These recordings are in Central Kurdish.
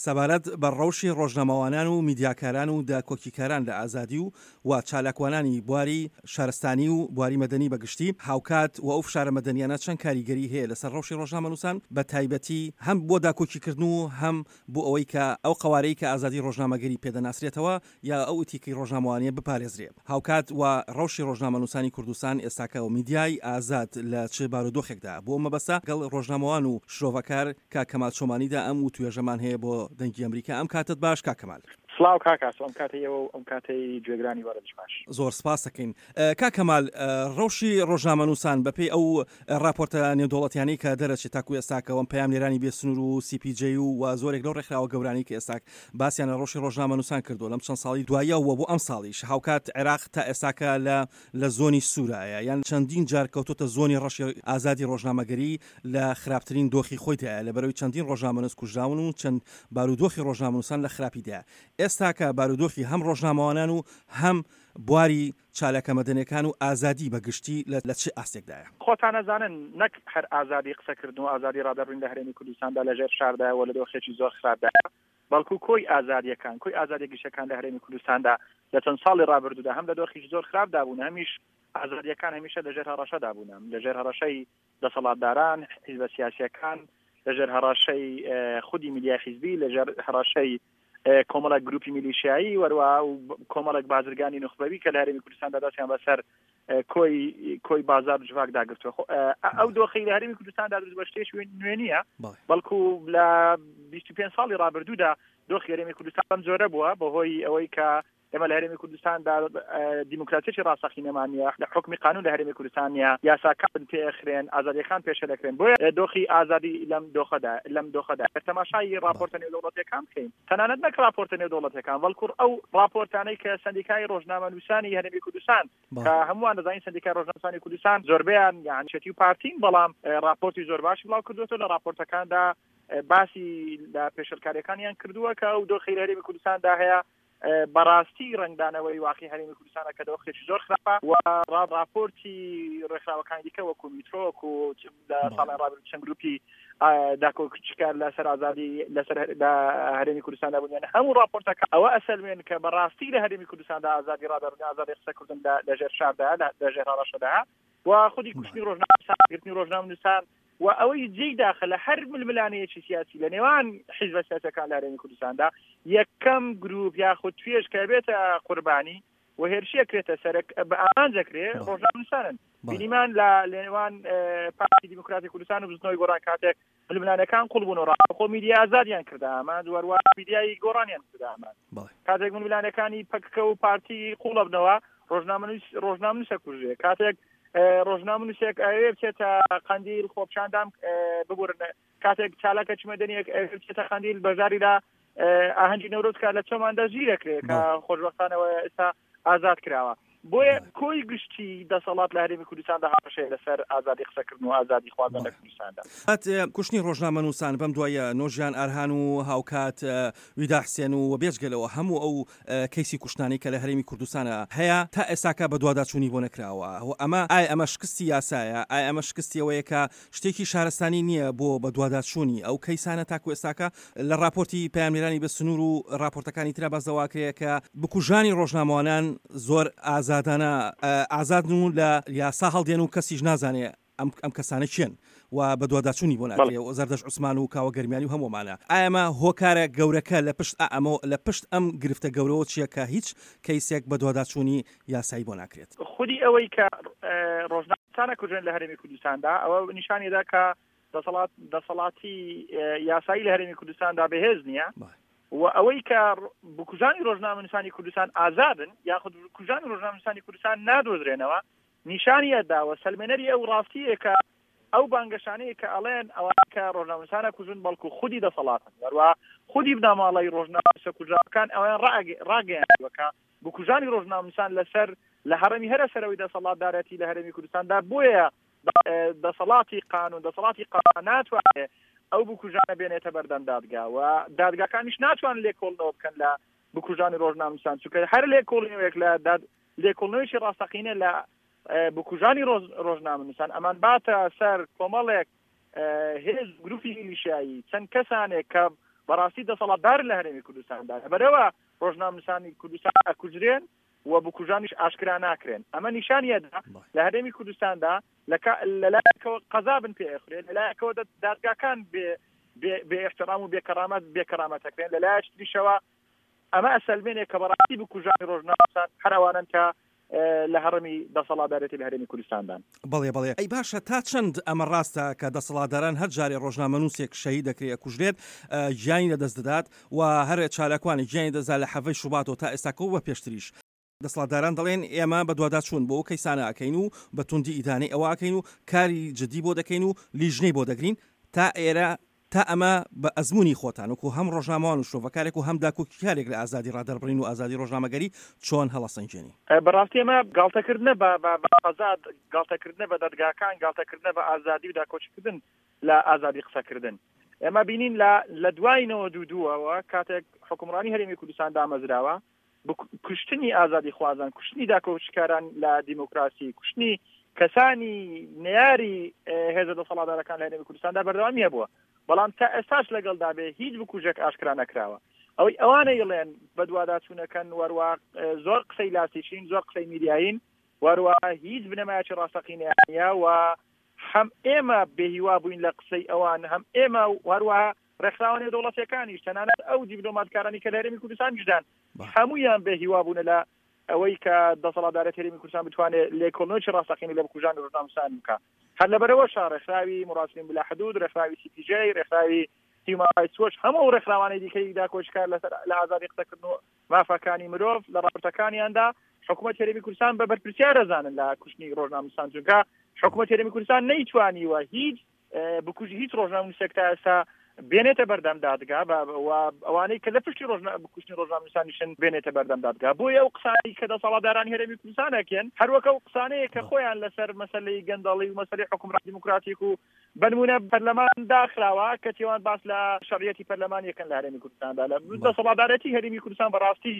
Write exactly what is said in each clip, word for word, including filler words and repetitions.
سەبارەت بە ڕەوشی ڕۆژنامەوانان و میدیاکاران و داکۆکیکاران لە ئازادی و و چالاکوانانی بواری شارستانی و بواری مەدەنی بە گشتی، هاوکات و ئەو فشارە مەدەنیانە چەند کاریگەری هەیە لەسەر ڕەوشی ڕۆژنامەنووسان بە تایبەتی هەم بۆ داکۆکیکردن و هەم بۆ ئەوەی کە ئەو قەوارەی کە ئازادی ڕۆژنامەگەری پێدەناسرێتەوە یا ئەو ئیتیکی ڕۆژنامەوانیە بپارێزرێ. هاوکات و ڕەوشی ڕۆژنامەنووسانی کوردستان ئێستاکە و میدیای ئازاد لە چ بارودۆخێکدا بۆ مەبەستە گەڵ ڕۆژنامەوان و شرۆڤەکار کاک کەمال چۆمانیدا ئەم وتوێژەمان هەیە بۆ دەنگی ئەمریکا. ئەم کاتت باش کاک کەمال. سڵاو کاک ئاسۆ، ئەم کاتەی ئێوە و ئەم کاتەی گوێگرانی بەڕێزیش باش. زۆر سپاس دەکەین. کاک کەمال، ڕەوشی ڕۆژنامەنووسان بەپێی ئەو ڕاپۆرتە نێودەوڵەتیانەی کە دەرەچێت تاکو ئێستاکەوەم پەیامنێرانی بێسنوور و سی پی جەی و زۆرێک لەو ڕێکخراوە گەورانەی کە ئێستاک باسیان لە ڕەوشی ڕۆژنامەنووسان کردووە لەم چەند ساڵی دواییەوە بۆ ئەم ساڵیش، هاوکات عێراق تا ئێستاکە لە لە زۆنی سوورایە یان چەندین جار کەوتۆتە زۆنی ڕەشی ئازادی ڕۆژنامەگەری لە خراپترین دۆخی خۆیدایە لەبەرەوەی چەندین ڕۆژنامەنووس کوژراون و چەند بارودۆخی ڕۆژنامەنووسان لە خراپیدایە. ئێستاکە بارودۆخی هەم ڕۆژنامەوانان و هەم بواری چالاکە مەدەنیەکان و ئازادی بە گشتی لە چ ئاستێکدایە؟ خۆتان ئەزانن نەک هەر ئازادی قسەکردن و ئازادی ڕادەربڕین لە هەرێمی کوردستاندا لەژێر فشاردایە و لە دۆخێکی زۆر خراپدایە، بەڵکو کۆی ئازادیەکان، کۆی ئازادی گشتەکان لە هەرێمی کوردستاندا لە چەند ساڵی ڕابردوودا هەم لە دۆخێکی زۆر خراپدا بوون، هەمیش ئازادیەکان هەمیشە لەژێر هەڕەشەدا بوون، لەژێر هەڕەشەی دەسەڵاتداران، حیزبە سیاسیەکان، لەژێر هەڕەشەی خودی میدیای حیزبی، لەژێر هەڕەشەی کۆمەڵێک گروپی میلیشیایی وەروە و کۆمەڵێک بازرگانی نوخبەوی کە لە هەرێمی کوردستاندا دەستیان بەسەر کۆی کۆی بازار و جڤاکدا گرتووە. ئەو دۆخی لە هەرێمی کوردستاندا دروست بە شتێکی نوێ نییە، بەڵکو لە بیست و پێنج ساڵی ڕابردوودا دۆخی هەرێمی کوردستان بەم جۆرە بووە، بەهۆی ئەوەی کە ئێمە لە هەرێمی کوردستاندا دیموکراتیەکی ڕاستەقینەمان نییە، لە حوکمی قانون لە هەرێمی کوردستان نییە، یاساکان پێخرێن، ئازادیەکان پێشە دەکرێن. بۆیە دۆخی ئازادی لەم دۆخەدا لەم دۆخەدا تەماشای ڕاپۆرتە نێودەوڵەتیەکان بکەین، تەنانەت نەک ڕاپۆرتە نێودەوڵەتیەکان، بەڵکو ئەو ڕاپۆرتانەی کە سەندیکای ڕۆژنامەنووسانی هەرێمی کوردستان کە هەمووان دەزانین سەندیکای ڕۆژنامەنووسانی کوردستان زۆربەیان یان چەتی و پارتین، بەڵام ڕاپۆرتی زۆر باشی بڵاو کردووەتەوە. لە ڕاپۆرتەکاندا باسی لە پێشلکاریەکانیان کردووە کە ئەو دۆخی لە هەرێمی کوردستاندا هەیە بەڕاستی ڕەنگدانەوەی واقعی هەرێمی کوردستانە کە دۆخێکی زۆر خراپە و ڕاپۆرتی ڕێکخراوەکانی دیکە وەکو میترۆ وەکو لە ساڵی ڕابردوو چەند گروپی داکۆکیکار لەسەر ئازادی لەسەر هەرێمی کوردستاندا بوون، یان هەموو ڕاپۆرتەکە ئەوە ئەسەلمێن کە بەڕاستی لە هەرێمی کوردستاندا ئازادی ڕادەربڕین، ئازادی قسەکردن لەژێر فشاردا، لەژێر هەڕەشەدا و خودی کوشتنی ڕۆژنامەنووسان، گرتنی ڕۆژنامەنووسان و ئەوەی جێی داخە لە هەر ململانەیەکی سیاسی لە نێوان حیزبە سیاسیەکان لە هەرێمی کوردستاندا یەکەم گروپ یاخود توێژ کە بێتە قوربانی و هێرشیە کرێتە سەرک بە ئامانج دەکرێ ڕۆژنامەنووسانن. بینیمان لە نێوان پارتی دیموکراتی کوردستان و بزوتنەوەی گۆڕان کاتێک ململانەکان قوڵ بوون و ڕاستەوخۆ میدیا ئازادیان کردە ئامانج، وەروە میدیای گۆڕانیان کردە ئامانج. کاتێک ململانەکانی پەککە و پارتی قوڵەبنەوە ڕۆژنامەنووس ڕۆژنامەنووسە کوژێ. کاتێک ڕۆژنامەنووسێک ئەوێ بچێتە قەندیل خۆپیشاندان ببورن، کاتێک چالاکە مەدەنیەک ئەوێ بچێتە قەندیل بەشداری لە ئاهەنگی نەورۆز کە لە چۆماندا ژیرەکرێ کە خۆشبەختانەوە ئێستا ئازاد کراوە. بۆیە کۆی گشتی دەسەڵات لە هەرێمی کوردستاندا هەڕەشەیە لەسەر ئازادی قسەکردن و ئازادی خواردن لە کوردستاندا. کوشتنی ڕۆژنامەنووسان بەم دوایە نۆژیان ئارهان و هاوکات ویدا حسێن و بێجگەلەوە هەموو ئەو کەیسی کوشتنانەی کە لە هەرێمی کوردستانە هەیە تا ئێستاکە بەدواداچوونی بۆ نەکراوە. ئەمە ئایا ئەمە شکستی یاسایە؟ ئایا ئەمە شکستیەوەیە کە شتێکی شارستانی نییە بۆ بەدواداچوونی ئەو کەیسانە تاکو ئێستاکە لە ڕاپۆرتی پەیامنێرانی بە سنوور و ڕاپۆرتەکانی ترا باس دەواکرێ کە بکوژانی ڕۆژنامەوانان زۆر ئازادانە ئازادن و لە یاسا هەڵدێن و کەسیش نازانێ ئەم کەسانە کێن و بەدواداچوونی بۆ ناکرێ و زەردەشت عوسمان و کاوە گەرمیانی و هەموومانە. ئایا ئەمە هۆکارە گەورەکە لە پشت ئەمە لە پشت ئەم گرفتە گەورەوە چییە کە هیچ کەیسێک بەدواداچوونی یاسایی بۆ ناکرێت؟ خودی ئەوەی کە ڕۆژنامەنووسانە کوژێن لە هەرێمی کوردستاندا ئەوە نیشانیدا کە دەسەڵات دەسەڵاتی یاسایی لە هەرێمی کوردستاندا بەهێز نییە و ئەوەی کە بکوژانی ڕۆژنامەنووسانی کوردستان ئازادن یاخود بکوژانی ڕۆژنامەنووسانی کوردستان نادۆزرێنەوە نیشانی ئەداوە سەلمێنەری ئەو ڕاستیە کە ئەو بانگەشانەیە کە ئەڵێن ئەوان کە ڕۆژنامەنووسانە کوژن بەڵکو خودی دەسەڵاتن، وەروە خودی بنەماڵەی ڕۆژنامەنووسە کوژراوەکان ئەویان ڕاگەیاندووە کە بکوژانی ڕۆژنامەنووسان لەسەر لە هەڕەمی هەرە سەرەوەی دەسەڵاتدارەتی لە هەرێمی کوردستاندا، بۆیە دەسەڵاتی قانون دەسەڵاتی قانون ناتوانێت ئەو بکوژانە بێنێتە بەردەم دادگا و دادگاکانیش ناتوانن لێکۆڵنەوە بکەن لە بکوژانی ڕۆژنامەنووسان، چونکە هەر لێکۆڵینەوەیەک لە لێکۆڵنەوەیەکی ڕاستەقینە لە بکوژانی ڕۆژنامەنووسان ئەمان باتە سەر کۆمەڵێک هێز گروپی میلیشیایی چەند کەسانێک کە بەڕاستی دەسەڵاتدار لە هەرێمی کوردستاندا. لەبەرەوە ڕۆژنامەنووسانی کوردستان ئەکوژرێن و بکوژانیش ئاشکرا ناکرێن. ئەمە نیشانیەدا لە هەرێمی کوردستاندا لەلایەکەوە قەزا بن پێ ئەخورێت، لەلایەکەوە دادگاکان بێ بێ احترام و بێکەرامەت بێکەرامەتەکرێن، لەلایەکی تریشەوە ئەمە ئەسەلمێنێ کە بەڕاستی بکوژانی ڕۆژنامەنووسان هەر ئەوانن کە لە هەڕمی دەسەڵاتدارێتی لە هەرێمی کوردستاندان. بەڵێ بەڵێ. ئەی باشە تا چەند ئەمە ڕاستە کە دەسەڵاتداران هەر جارێ ڕۆژنامەنووسێک شەهید دەکرێ ئەکوژرێت گیانی لەدەست دەدات و هەر چالاکوانی گیانی دەزا لە حەڤەی شوباتەوە تا ئێستاکەوە بە پێشتریش دەسەڵاتداران دەڵێن ئێمە بەدواداچوون بۆ ئەو کەیسانە ئەکەین و بە توندی ئیدانەی ئەوە ئەکەین و کاری جدی بۆ دەکەین و لیژنەی بۆ دەگرین. تا ئێرە تا ئەمە بە ئەزمموی خۆتان وەکو هەم ڕۆژنامەوان و شرۆڤەکارێک و هەم داکۆکیکارێک لە ئازادی ڕادەربڕین و ئازادی ڕۆژنامەگەری چۆن هەڵەسەنگێنی؟ بەڕاستی ئەمە گاڵتەکردنە بە ئازاد، گاڵتەکردنە بە دادگاکان، گاڵتەکردنە بە ئازادی و داکۆکیکردن لە ئازادی قسەکردن. ئێمە بینین لە دوای نەوەد و دووەوە کاتێک حکومڕانی هەرێمی کوردستان دامەزراوە، کوشتنی ئازادی خوازان، کوشتنی داکۆکیکاران لە دیموکراسی، کوشتنی کەسانی نەیاری هێزە دەسەڵاتدارەکان لە هەرێمی کوردستاندا بەردەوامی هەبووە، بەڵام تا ئێستاش لەگەڵدا بێ هیچ بکوژێک ئاشکرا نەکراوە. ئەوەی ئەوانە یڵێن بەدواداچوونەکەن وەروە زۆر قسەی لاسیشین، زۆر قسەی میدیایین، وەروە هیچ بنەمایەکی ڕاستەقینەیانە و هەم ئێمە بێهیوا بووین لە قسەی ئەوان، هەم ئێمە وەروە ڕێکخراوە نێودەوڵەتیەکانیش، تەنانەت ئەو دیپلۆماتکارانی کە لە هەرێمی کوردستانیشدان هەمویان بێهیوا بوونە لە ئەوەی کە دەسەڵاتدارەت هەرێمی کوردستان بتوانێت لێکۆڵینەوەی ڕاستەقینە لە بکوژانی ڕۆژنامەنووسان بکا. هەر لەبەرەوەشە ڕێکخراوی مراسلین بلا حدود، ڕێکخراوی سی پی جی، ڕێکخراوی هیومان ڕایتس وۆچ، هەموو ئەو ڕێکخراوانەی دیکەی داکۆکیکار لەسەر لە ئازادی قسەکردن و مافەکانی مرۆڤ لە ڕاپۆرتەکانیاندا حکوومەت هەرێمی کوردستان بە بەرپرسیار دەزانن لە کوشتنی ڕۆژنامەنووسان، چونکە حکوومەت هەرێمی کوردستان نەیتوانیوە هیچ بکوژی هیچ ڕۆژنامەنووسێک تا ئێستا بێنێتە بەردەم دادگا و ئەوانەی کە لە پشتی کوشتنی ڕۆژنامەنووسانیشن بێنێتە بەردەم دادگا. بۆیە ئەو قسانەی کە دەسەڵاتدارانی هەرێمی کوردستان ئەکەن هەروەک ئەو قسانەیە کە خۆیان لەسەر مەسەلەی گەندەڵی و مەسەلەی حکومڕانی دیموکراتیک و بنمونە پەرلەمان داخراوە کە تێوان باس لە شەرعیەتی پەرلەمان یەکەن لە هەرێمی کوردستاندا. لە دەسەڵاتدارەتی هەرێمی کوردستان بەڕاستی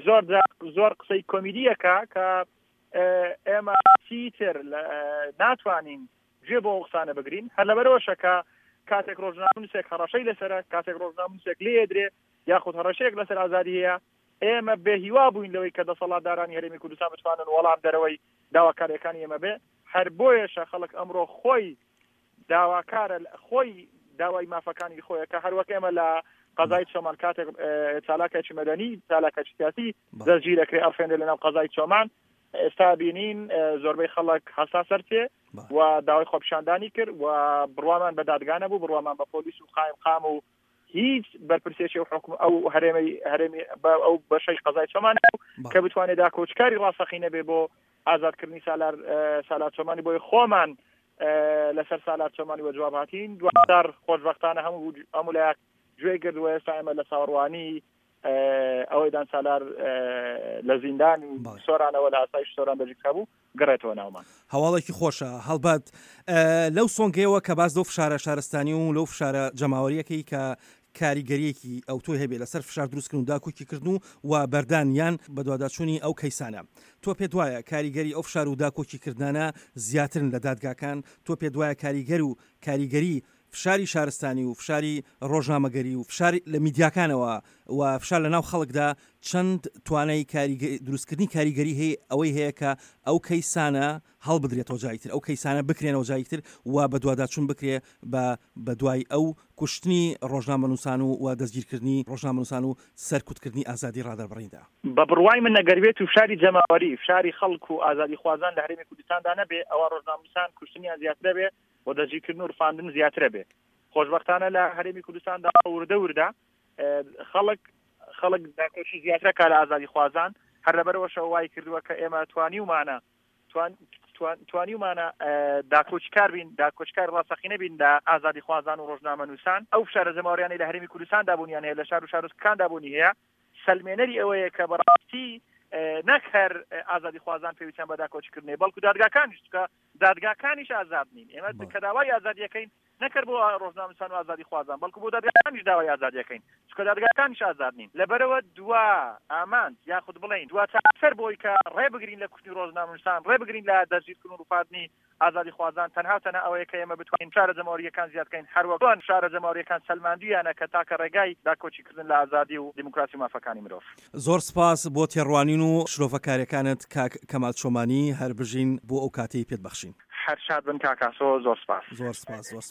زۆر زۆر قسەی کۆمیدیەکە کە ئێمە چیتر ناتوانین گوێ بۆ ئەو قسانە بگرین. هەر لەبەرەوەشە کە کاتێک ڕۆژنامەنووسێک هەڕەشەی لەسەرە، کاتێک ڕۆژنامەنووسێک لێدرێ یاخود هەڕەشەیەک لەسەر ئازادی هەیە، ئێمە بێهیوا بووین لەوەی کە دەسەڵاتدارانی هەرێمی کوردستان بتوانن وەڵام دەرەوەی داواکاریەکانی ئێمە بێ. هەر بۆیەشە خەڵک ئەمڕۆ خۆی داواکارە، خۆی داوای مافەکانی خۆیە کە هەروەک ئێمە لە قەزای چۆمان کاتێک چالاکێکی مەدەنی، چالاکێکی سیاسی دەستگیر دەکرێ ئەڕفێنرێ لەناو قەزای چۆمان، ئێستا بینین زۆربەی خەڵک هەستا سەرتێ و داوای خۆپیشاندانی کرد و بڕوامان بە دادگا نەبوو، بڕوامان بە پۆلیس و قایم قام و هیچ بەرپرسێکی و حکوم ئەو هەرێمی هەرێمی ئەو بەشەی قەزای چۆمان نەبوو کە بتوانێت داکۆچکاری ڕاستەقینە بێ بۆ ئازادکردنی سالار سالار چۆمانی. بۆی خۆمان لەسەر سالار چۆمانی وە جواب هاتین. دواتر خۆشبەختانە هەموو هەموو لایەک گوێ گرت و ئێستا ئێمە لە چاوەڕوانی ئەوەی دان سالار لە زیندانی سۆرانەوە لە ئاسایش سۆران دەژیکرا بوو گەڕێتەوە ناومان. هەواڵێکی خۆشە. هەڵبەت لەو سۆنگەیەوە کە باز لەو فشارە شارستانی و لەو فشارە جەماوەریەکەی کە کاریگەریەکی ئەوتۆی هەبێ لەسەر فشار دروستکردن و داکۆکیکردن و و بەردان یان بەدواداچوونی ئەو کەیسانە، تۆ پێت وایە کاریگەری ئەو فشار و داکۆکیکردنانە زیاترن لە دادگاکان؟ تۆ پێت وایە کاریگەر و کاریگەری فشاری شارستانی و فشاری ڕۆژنامەگەری و فشاری لە میدیاکانەوە و فشار لە ناو خەڵکدا چەند توانای دروستکردنی کاریگەری هەیە ئەوەی هەیە کە ئەو کەیسانە هەڵبدرێتەوە جایتر، ئەو کەیسانە بکرێنەوە جایتر و بەدواداچوون بکرێ بە دوای ئەو کوشتنی ڕۆژنامەنووسان و دەستگیرکردنی ڕۆژنامەنووسان و سەرکوتکردنی ئازادی ڕادەربڕیندا؟ بە بڕوای من ئەگەر بێت و فشاری جەماوەری، فشاری خەڵک و ئازادی خوازان لە هەرێمی کوردستاندا نەبێ، ئەوە ڕۆژنامەنووسان کوشتنیان زیاترە بێ و دەستگیرکردن و ڕفاندن زیاترە بێ. خۆشبەختانە لە هەرێمی کوردستاندا وردە وردە خەڵک خەڵک داکۆکی زیاترە کا لە ئازادی خوازان. هەر لەبەرەوەشەوە وای کردووە کە ئێمە توانیومانە توانیومانە داکۆکیکار بین، داکۆکیکار ڕاستەقینە بین لە ئازادی خوازان و ڕۆژنامەنووسان. ئەو فشارە جەماوەریانەی لە هەرێمی کوردستاندا بوونیان هەیە، لە شار و شارۆچکەکاندا بوونی هەیە، سەلمێنەری ئەوەیە کە بەڕاستی نەک هەر ئازادی خوازان پێویستیان بە داکۆکیکردنێ، بەڵکو دادگاکانیش، چونکە دادگاکانیش ئازاد نین. ئێمە کە داوای ئازادیەکەین نەکرد بۆ ڕۆژنامەنووسان و ئازادی خوازان، بەڵکو بۆ دادگاکانیش. دادگاکانیش داوای ئازادی ئەکەین، چونکە دادگاکانیش ئازاد نین. لەبەرئەوە دوا ئامانج یاخود بڵێین دوا چارەسەر بۆی کە ڕێ بگرین لە کوشتنی ڕۆژنامەنووسان، ڕێ بگرین لە دەستگیرکردن و ڕووفاندنی ئازادیخوازان تەنها و تەنها ئەوەیە کە ئێمە بتوانین فشارە جەماوەرییەکان زیاد بکەین، هەروەک چۆن فشارە جەماوەرییەکان سەلماندوویانە کە تاکە ڕێگای داکۆکیکردن لە ئازادی و دیموکراسی و مافەکانی مرۆڤ. زۆر سپاس بۆ تێڕوانین و شرۆڤەکاریەکانت کاک کەمال چۆمانی، هەر بژین بۆ ئەو کاتەی پێت بەخشین. هەر شاد بن کاک ئاسۆ، زۆر سپاس. زۆر سپاس زۆر سپاس.